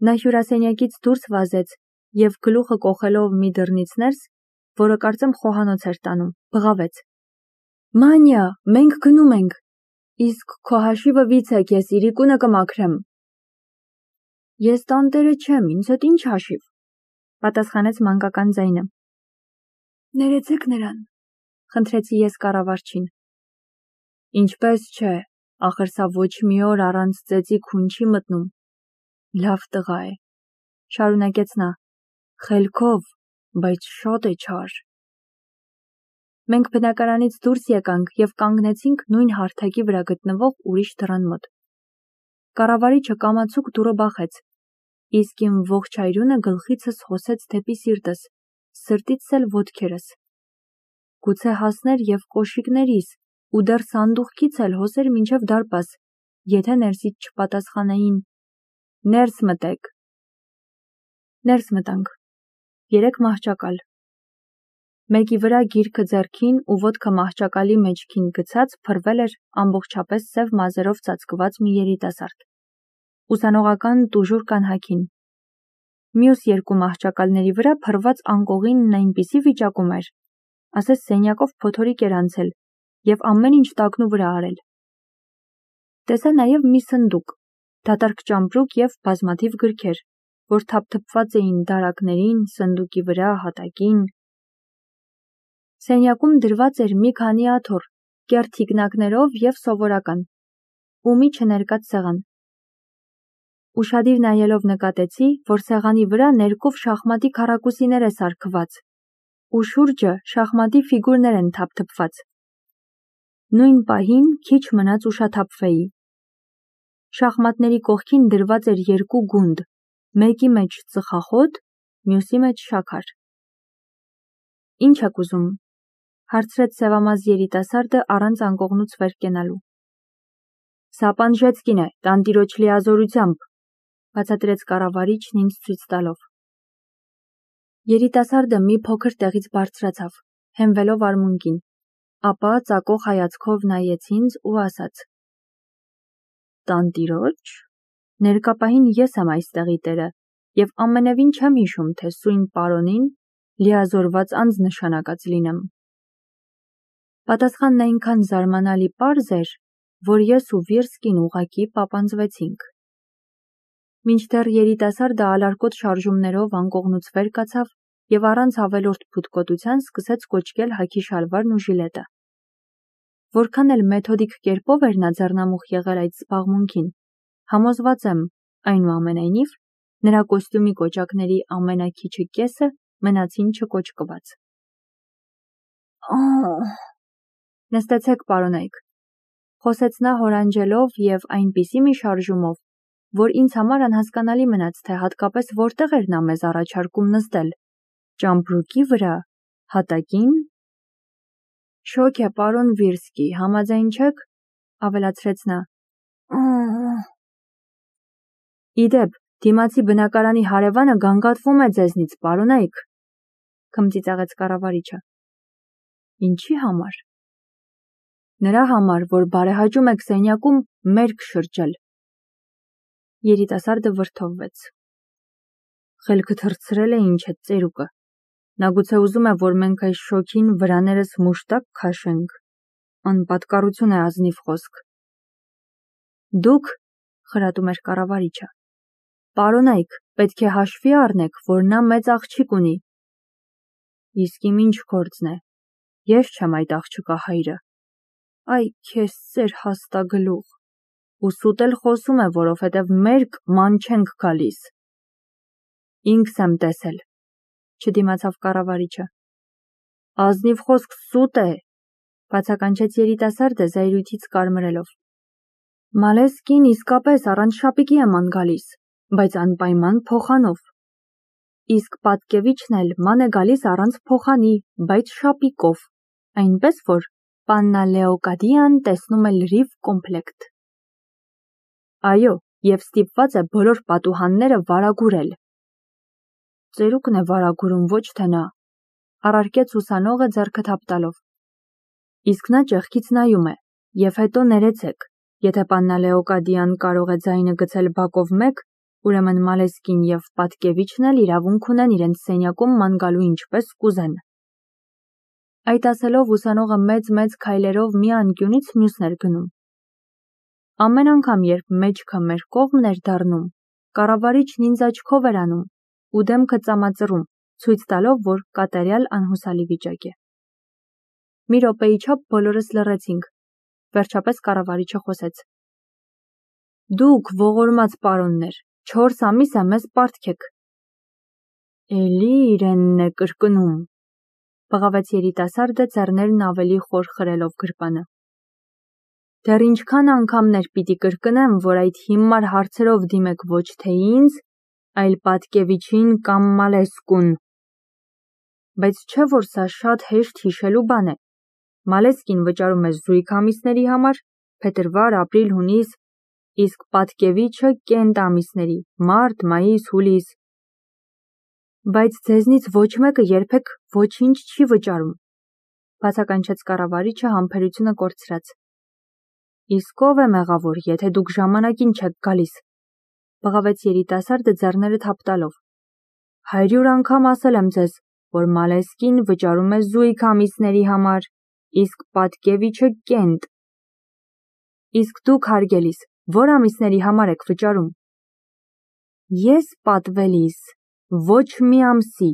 Նա հյուրասենյակից դուրս վազեց և գլուխը կոխելով մի դռնից ներս, որը կարծեմ խոհանոց էր տանում, բղավեց. «Մանյա, մենք գնում ենք, իսկ քո հաշիվը վիցեք, ես իրիկունը կմաքրեմ»։ «Ես տանտերը չեմ, ինձ հետ ինչ հաշիվ», պատասխանեց մանկական ձայնը։ «Ներեցեք նրան», խնդրեցի ես կառավարչին։ «Ինչպես չէ, ախր սա ոչ մի օր առանց ծեծի քուն չի մտնում»։ «Լավ տղա է», շարունակեց նա, «խելքով, բայց շատ է չար»։ Մենք բնակարանից դուրս եկանք և կանգնեցինք նույն հարթակի վրա գտնվող ուրիշ դռան մոտ։ Կառավարիչը կամացուկ դուռը բախեց, իսկ իմ ողջ այրունը գլխիցս հոսեց դեպի սիրտս, սրտիցս էլ ոտքերս։ Գուցե հասներ և կոշիկներիս, ու դեռ սանդուղքից էլ հոսեր մինչև դարպաս, եթե ներսից չպատասխանեին. «Ներս մտեք»։ Ներս մտանք։ 3 մահճակալ։ Մեկի վրա գիրքը ձեռքին ու ոտքը մահճակալի մեջքին գցած փռվել էր ամբողջապես սև մազերով ծածկված մի երիտասարդ։ Ուսանողական տուժուր կանհաքին։ Մյուս 2 մահճակալների վրա փռված անկողինն այնպիսի վիճակում էր, ասես սենյակով փոթորիկ էր անցել և ամեն ինչ տակնու վրա արել։ Տեսա նաև մի սնդուկ, դատարկ ճամպրուկ և բազմաթիվ գրքեր, որ թափթփված էին դարակներին, սնդուկի վրա, հատակին։ Սենյակում դրված էր մի քանի աթոռ, կեռ թիկնակներով և սովորական, ու մի չներկած սեղան։ Ուշադիր նայելով նկատեցի, որ սեղանի վրա ներկով շախմատի քառակուսիներ է սարքված, ու շուրջը շախմատի ֆիգուրներ են թափթփված։ Նույն պահին քիչ մնաց ուշաթափվեի։ Շախմատների կողքին դրված էր 2 գունդ, մեկի մեջ ծխախոտ, մյուսի մեջ շաքար։ «Ինչ եք ուզում», հարցրեց սևամազ երիտասարդը առանց անկողնուց վեր կենալու։ «Սա Պանժեցկին է, տանտիրոջ լիազորությամբ», բացատրեց կառավարիչն ինձ ցույց տալով։ Երիտասարդը մի փոքր տեղից բարձրացավ, հենվելով արմունկին, ապա ծակող հայացքով նայեց ինձ ու ասաց. «Տանտիրոջ»։ Ներկա պահին ես եմ այստեղի տերը և ամենևին չեմ հիշում, թե սույն պարոնին լիազորված անձ նշանակած լինեմ։ Պատասխանն այնքան զարմանալի պարզ էր, որ ես ու Վիրսկին ուղղակի պապանձվեցինք։ Մինչդեռ երիտասարդը ալարկոտ շարժումներով անկողնուց վեր կացավ և առանց ավելորդ փութկոտության սկսեց կոճկել հագի շալվարն ու ժիլետը։ Որքան էլ մեթոդիկ կերպով էր նա ձեռնամուխ եղել այդ զբաղմունքին, համոզված եմ, այնուամենայնիվ, նրա կոստյումի կոճակների ամենաքիչը կեսը մնացին չկոճկված։ Նստեցեք, պարոնայք, խոսեց նա հորանջելով և այնպիսի մի շարժումով, որ ինձ համար անհասկանալի մնաց, թե հատկապես որտեղ էր նա մեզ առաջարկում նստել, ճամպրուկի վրա, հատակին։ Շոգ է, պարոն Վիրսկի, համաձայն չեք, ավելացրեց նա։ Իդեպ, դիմացի բնակարանի հարևանը գանգատվում է ձեզնից, պարոնայք, քմծիծաղեց կառավարիչը։ Ինչի համար։ Նրա համար, որ բարեհաճում եք սենյակում մերկ շրջել։ Երիտասարդը վրդովվեց։ Խելքը թռցրել է ինչ է ծերուկը։ Նա գուցե ուզում է, որ մենք այս շոգին վրաներս մուշտակ քաշենք։ Անպատկառություն է ազնիվ խոսք։ Դուք, խրատում էր կառավարիչը, պարոնայք, պետք է հաշվի առնեք, որ նա մեծ աղջիկ ունի։ Իսկ իմ ինչ գործն է, ես չեմ այդ աղջկա հայրը։ Այ քեզ ծեր հաստագլուխ, ու սուտ էլ խոսում է, որովհետև մերկ ման չենք գալիս։ Ինքս եմ տեսել, չդիմացավ կառավարիչը։ Ազնիվ խոսք սուտ է, բացականչեց երիտասարդը զայրույթից կարմրելով։ Մալեսկին իսկապես առանց շապիկի է ման գալիս, բայց անպայման փոխանով։ Իսկ Պատկևիչն էլ ման է գալիս առանց փոխանի, բայց շապիկով, այնպես որ Պաննա Լեոկադիան տեսնում է լրիվ կոմպլեկտ։ Այո, և ստիպված է բոլոր պատուհանները վարագուրել։ Ծերուկն է վարագուրում, ոչ թե նա, առարկեց ուսանողը ձեռքը թափ տալով։ Իսկ նա ճեղքից նայում է, և հետո ներեցեք, եթե Պաննա Լեոկադիան կարող է ձայնը գցել բակով մեկ, Ուրեմն Մալեսկին և Պատկևիչն էլ իրավունք ունեն իրենց սենյակում ման գալու ինչպես կուզեն։ Այդ ասելով ուսանողը մեծ քայլերով մի անկյունից մյուսն էր գնում։ Ամեն անգամ, երբ մեջքը մեր կողմն էր դառնում, կառավարիչն ինձ աչքով էր անում ու դեմքը ծամածռում, ցույց տալով, որ կատարյալ անհուսալի վիճակ է։ Մի րոպեի չափ բոլորս լռեցինք։ Վերջապես կառավարիչը խոսեց. Դուք ողորմած պարոններ, 4 ամիս է մեզ պարտք եք։ Էլի իրենն է կրկնում, բղավեց երիտասարդը ձեռներն ավելի խոր խրելով գրպանը։ Դեռ ինչքան անգամներ պիտի կրկնեմ, որ այդ հիմար հարցերով դիմեք ոչ թե ինձ, այլ Պատկևիչին կամ Մալեսկուն։ Բայց չէ որ սա շատ հեշտ հիշելու բան է։ Մալեսկին վճարում է զույգ ամիսների համար, փետրվար, ապրիլ, հունիս, իսկ Պատկևիչը կենտ ամիսների, մարտ, մայիս, հուլիս։ Բայց ձեզնից ոչ մեկը երբեք ոչինչ չի վճարում, բացականչեց կառավարիչը համբերությունը կորցրած։ Իսկ ով է մեղավոր, եթե դուք ժամանակին չեք գալիս, բղավեց երիտասարդը ձեռները թափ տալով։ 100 անգամ ասել եմ ձեզ, որ Մալեսկին վճարում է զույգ ամիսների համար, իսկ Պատկևիչը կենտ։ Իսկ դուք հարգելիս, որ ամիսների համար եք վճարում։ Ես պատվելիս, ոչ մի ամսի,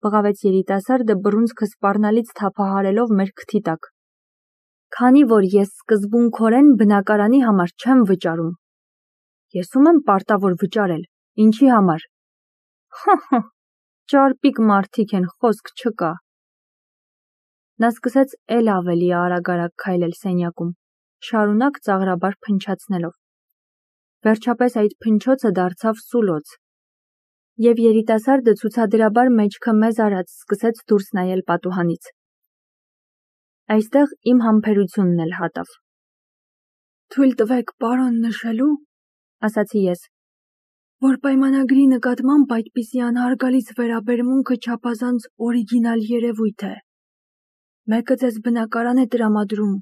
բղավեց երիտասարդը բռունցքը սպառնալից թափահարելով մեր քթի տակ։ Քանի որ ես սկզբունքորեն բնակարանի համար չեմ վճարում։ Ես ում եմ պարտավոր վճարել, ինչի համար։ Հը, ճարպիկ մարդիկ են, խոսք չկա։ Նա սկսեց էլ ավելի արագ քայլել սենյակում, շարունակ ծաղրաբար փնչացնելով։ Վերջապես այդ փնչոցը դարձավ սուլոց, և երիտասարդը ցուցադրաբար մեջքը մեզ արած սկսեց դուրս նայել պատուհանից։ Այստեղ իմ համբերությունն էլ հատավ։ Թույլ տվեք, պարոն, նշելու, ասացի ես, որ պայմանագրի նկատմամբ այդպիսի անհարգալից վերաբերմունքը չափազանց օրիգինալ երևույթ է։ Մեկը ձեզ բնակարան է տրամադրում,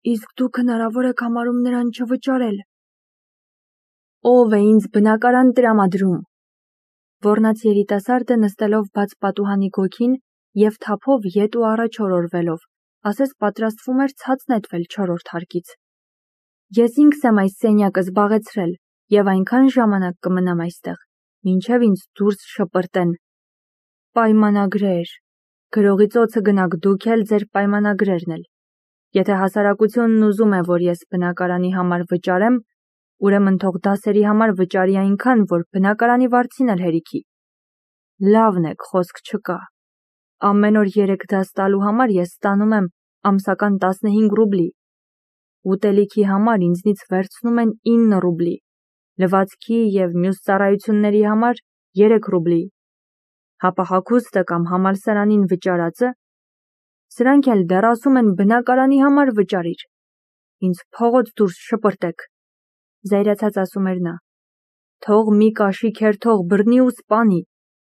իսկ դուք հնարավոր եք համարում նրան չվճարել։ Ով է ինձ բնակարան տրամադրում։ Ոռնաց երիտասարդը նստելով բաց պատուհանի գոգին և թափով ետ ու առաջ օրորվելով, ասես պատրաստվում էր ցած նետվել 4-րդ հարկից։ Ես ինքս եմ այս սենյակը զբաղեցրել և այնքան ժամանակ կմնամ այստեղ, մինչև ինձ դուրս շպրտեն։ Պայմանագրեր։ Գրողի ծոցը գնաք դուք էլ ձեր պայմանագրերն էլ։ Եթե հասարակությունն ուզում է, որ ես բնակարանի համար վճարեմ, ուրեմն թող դասերի համար վճարի այնքան, որ բնակարանի վարձին էլ հերիքի։ Լավն եք, խոսք չկա։ Ամեն օր 3 դաս տալու համար ես ստանում եմ ամսական 15 ռուբլի։ Ուտելիքի համար ինձնից վերցնում են 9 ռուբլի, լվացքի և մյուս ծառայությունների համար 3 ռուբլի։ Հապա հագուստը կամ համալսարանին վճարածը, սրանք էլ դեռ ասում են բնակարանի համար վճարիր։ Ինձ փողոց դուրս շպրտեք, զայրացած ասում էր նա։ Թող մի կաշիք հերթող բռնի ու սպանի,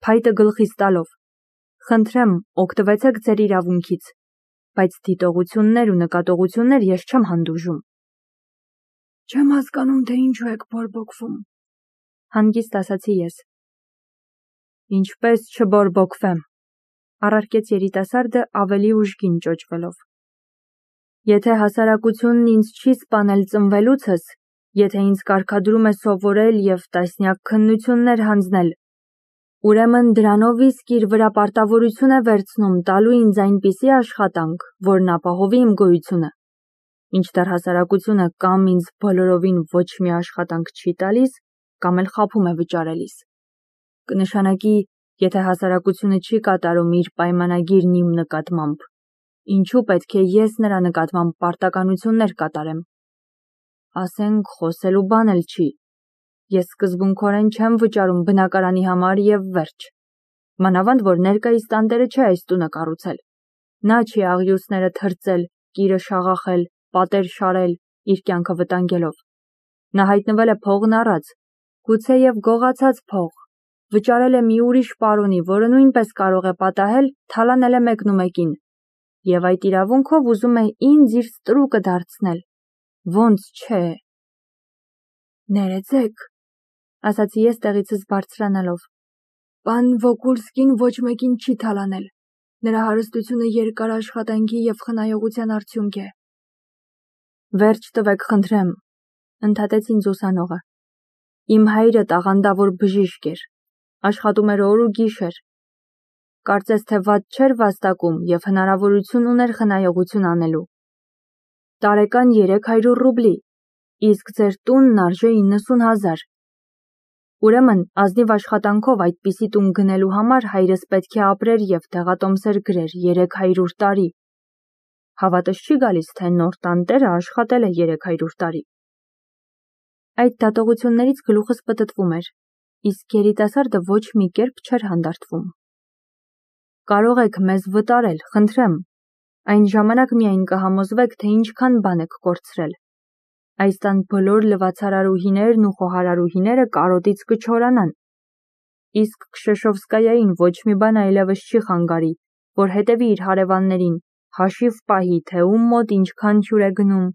փայտը գլխիս տալով։ Խնդրեմ, օգտվեցեք ձեր իրավունքից, բայց դիտողություններ ու նկատողություններ ես չեմ հանդուրժում։ Չեմ հասկանում, թե ինչու եք բորբոքվում, հանգիստ ասացի ես։ Ինչպես չբորբոքվեմ, առարկեց երիտասարդը ավելի ուժգին ճոճվելով։ Եթե հասարակությունն ինձ չի սպանել ծնվելուցս, եթե ինձ կարգադրում է սովորել և տասնյակ քննություններ հանձնել, ուրեմն դրանով իսկ իր վրա պարտավորություն է վերցնում տալու ինձ այնպիսի աշխատանք, որն ապահովի իմ գոյությունը, մինչդեռ հասարակությունը կամ ինձ բոլորովին ոչ մի աշխատանք չի տալիս, կամ էլ խաբում է վճարելիս։ Կնշանակի, եթե հասարակությունը չի կատարում իր պայմանագիրն իմ նկատմամբ, ինչու պետք է ես նրա նկատմամբ պարտականություններ կատարեմ։ Ասենք խոսելու բան էլ չի։ Ես սկզբունքորեն չեմ վճարում բնակարանի համար և վերջ։ Մանավանդ, որ ներկայիս տանտերը չէ այս տունը կառուցել։ Նա չի աղյուսները թրծել, կիրը շաղախել, պատեր շարել, իր կյանքը վտանգելով։ Նա հայտնվել է փողն առած, գուցեև գողացած փող, վճարել է մի ուրիշ պարոնի, որը նույնպես կարող է պատահել, թալանել է մեկնումեկին, և այդ իրավունքով ուզում է ինձ իր ստրուկը դարձնել։ Ոնց չէ։ Ներեցեք, ասացի ես տեղիցս բարձրանալով։ Պան Վոկուլսկին ոչ մեկին չի թալանել։ Նրա հարստությունը երկար աշխատանքի և խնայողության արդյունք է։ Վերջ տվեք, խնդրեմ, ընդհատեց ինձ ուսանողը։ Իմ հայրը տաղանդավոր բժիշկ էր, աշխատում էր օր ու գիշեր։ Կարծես թե վատ չէր վաստակում և հնարավորություն ուներ խնայողություն անելու։ Տարեկան 300 ռուբլի, իսկ ձեր տունն արժե 90,000։ Ուրեմն, ազնիվ աշխատանքով այդպիսի տուն գնելու համար հայրս պետք է ապրեր և տեղատոմսեր գրեր 300 տարի։ Հավատս չի գալիս, թե նոր տանտերը աշխատել է 300 տարի։ Այդ դատողություններից գլուխս պտտվում էր, իսկ երիտասարդը ոչ մի կերպ չէր հանդարտվում։ Կարող եք մեզ վտարել, խնդրեմ, այն ժամանակ միայն կհամոզվեք, թե ինչքան բան եք կորցրել։ Այս տան բոլոր լվացարարուհիներն ու խոհարարուհիները կարոտից կչորանան։ Իսկ Քշեշովսկայային ոչ մի բան այլևս չի խանգարի, որ հետևի իր հարևաններին, հաշիվ պահի, թե ում մոտ ինչքան հյուր է գնում,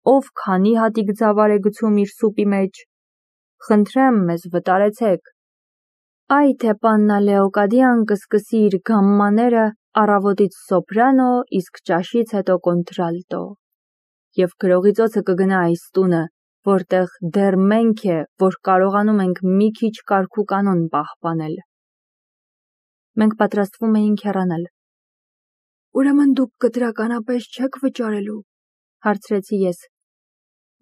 ով քանի հատիկ ձավար է գցում իր սուպի մեջ։ Խնդրեմ, մեզ վտարեցեք։ Այ թե պաննա Լեոկադիան կսկսի իր գամմաները, առավոտից սոպրանո, իսկ ճաշից հետո կոնտրալտո։ Եվ գրողի ծոցը կգնա այս տունը, որտեղ դեռ մենք է, որ կարողանում ենք մի քիչ կարգ ու կանոն պահպանել։ Մենք պատրաստվում էինք հեռանալ։ Ուրեմն դուք կտրականապես չեք վճարելու, հարցրեցի ես։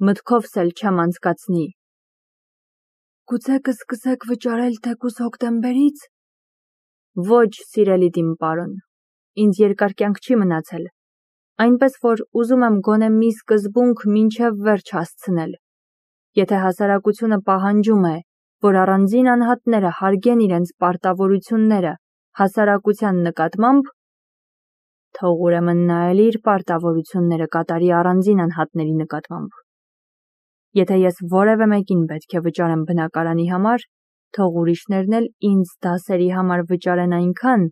Մտքովս էլ չեմ անցկացնի։ Գուցե կսկսեք վճարել թեկուզ հոկտեմբերից։ Ոչ, սիրելի իմ պարոն, ինձ երկար կյանք չի մնացել, այնպես որ ուզում եմ գոնե մի սկզբունք մինչև վերջ հասցնել։ Եթե հասարակությունը պահանջում է, որ առանձին անհատները հարգեն իրենց պարտավորությունները հասարակության նկատմամբ, թող ուրեմն նա էլ իր պարտավորությունները կատարի առանձին անհատների նկատմամբ։ Եթե ես որևէ մեկին պետք է վճարեմ բնակարանի համար, թող ուրիշներն էլ ինձ դասերի համար վճարեն այնքան,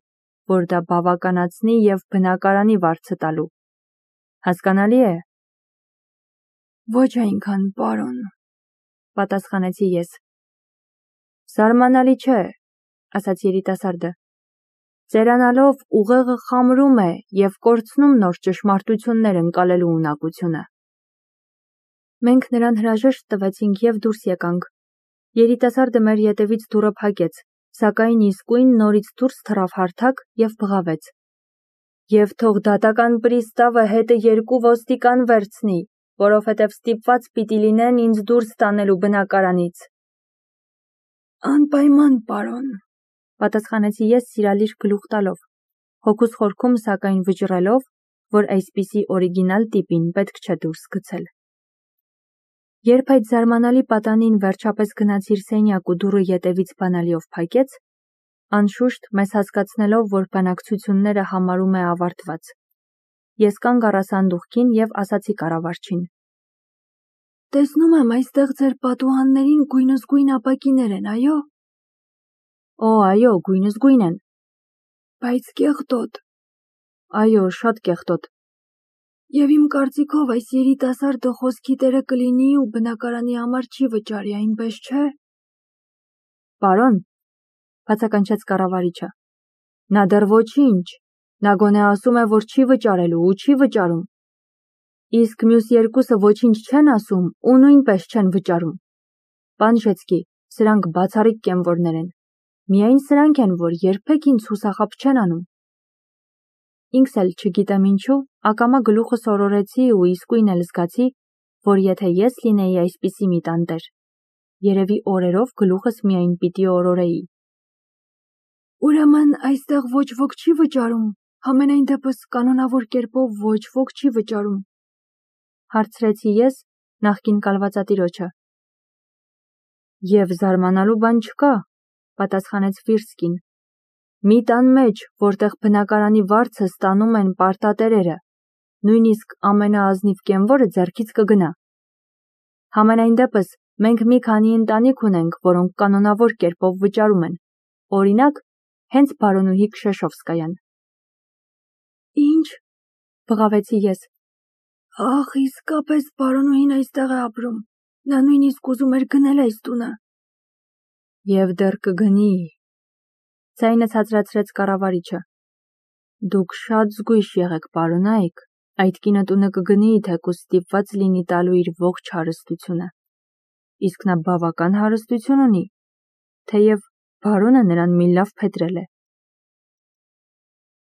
որ դա բավականացնի և բնակարանի վարձը տալու։ Հասկանալի է։ Ոչ այնքան, պարոն, պատասխանեցի ես։ Զարմանալի չէ, ասաց երիտասարդը։ Ծերանալով ուղեղը խամրում է և կորցնում նոր ճշմարտություններ ընկալելու ունակությունը։ Մենք նրան հրաժեշտ տվեցինք և դուրս եկանք։ Երիտասարդը մեր ետևից դուռը փակեց, սակայն իսկույն նորից դուրս թռավ հարթակ և բղավեց։ Եվ թող դատական պրիստավը հետը 2 ոստիկան վերցնի, որովհետև ստիպված պիտի լինեն ինձ դուրս տանելու բնակարանից։ Անպայման, պարոն, պատասխանեցի ես սիրալիր գլուխ տալով, հոգուս խորքում սակայն վճռելով, որ այսպիսի օրիգինալ տիպին պետք չէ դուրս գցել։ Երբ այդ զարմանալի պատանին վերջապես գնացիր սենյակ ու դուռը ետևից բանալիով փակեց, անշուշտ մեզ հասկացնելով, որ բանակցությունները համարում է ավարտված։ Ես կանգ առա սանդուղքին և ասացի կառավարչին. Տեսնում եմ, այստեղ ձեր պատուհաններին գույնզգույն ապակիներ են, այո։ Օ, այո, գույնզգույն են։ Բայց կեղտոտ։ Այո, շատ կեղտոտ։ Եվ իմ կարծիքով այս երիտասարդը խոսքի տերը կլինի ու բնակարանի համար չի վճարի, այնպես չէ։ Պարոն, բացականչեց կառավարիչը, նա դեռ ոչինչ, նա գոնե ասում է, որ չի վճարելու ու չի վճարում։ Իսկ մյուս երկուսը ոչինչ չեն ասում ու նույնպես չեն վճարում։ Պան Ժեցկի, սրանք բացառիկ կենվորներ են։ Միայն սրանք են, որ երբեք ինձ հուսախաբ չեն անում։ Ինքս էլ չգիտեմ ինչու, ակամա գլուխս օրորեցի ու իսկույն էլ զգացի, որ եթե ես լինեի այսպիսի մի տանտեր, երևի օրերով գլուխս միայն պիտի օրորեի։ Ուրեմն այստեղ ոչ ոք չի վճարում, համենայն դեպս կանոնավոր կերպով ոչ ոք չի վճարում, հարցրեցի ես նախկին կալվածատիրոջը։ Եվ զարմանալու բան չկա, պատասխանեց Վիրսկին։ Մի տան մեջ, որտեղ բնակարանի վարձը ստանում են պարտատերերը, նույնիսկ ամենաազնիվ կենվորը ձեռքից կգնա։ Համենայն դեպս, մենք մի քանի ընտանիք ունենք, որոնք կանոնավոր կերպով վճարում են։ Օրինակ, հենց բարոնուհի Քշեշովսկայան։ Ինչ, բղավեցի ես։ Ախ, իսկապես բարոնուհին այստեղ է ապրում։ Նա նույնիսկ ուզում էր գնել այս տունը։ Եվ դեռ կգնի։ Ձայնը ցածրացրեց կառավարիչը։ Դուք շատ զգույշ եղեք, պարոնայք, այդ կինը տունը կգնի, թեկուզ ստիպված լինի տալու իր ողջ հարստությունը։ Իսկ նա բավական հարստություն ունի, թեև բարոնը նրան մի լավ փետրել է։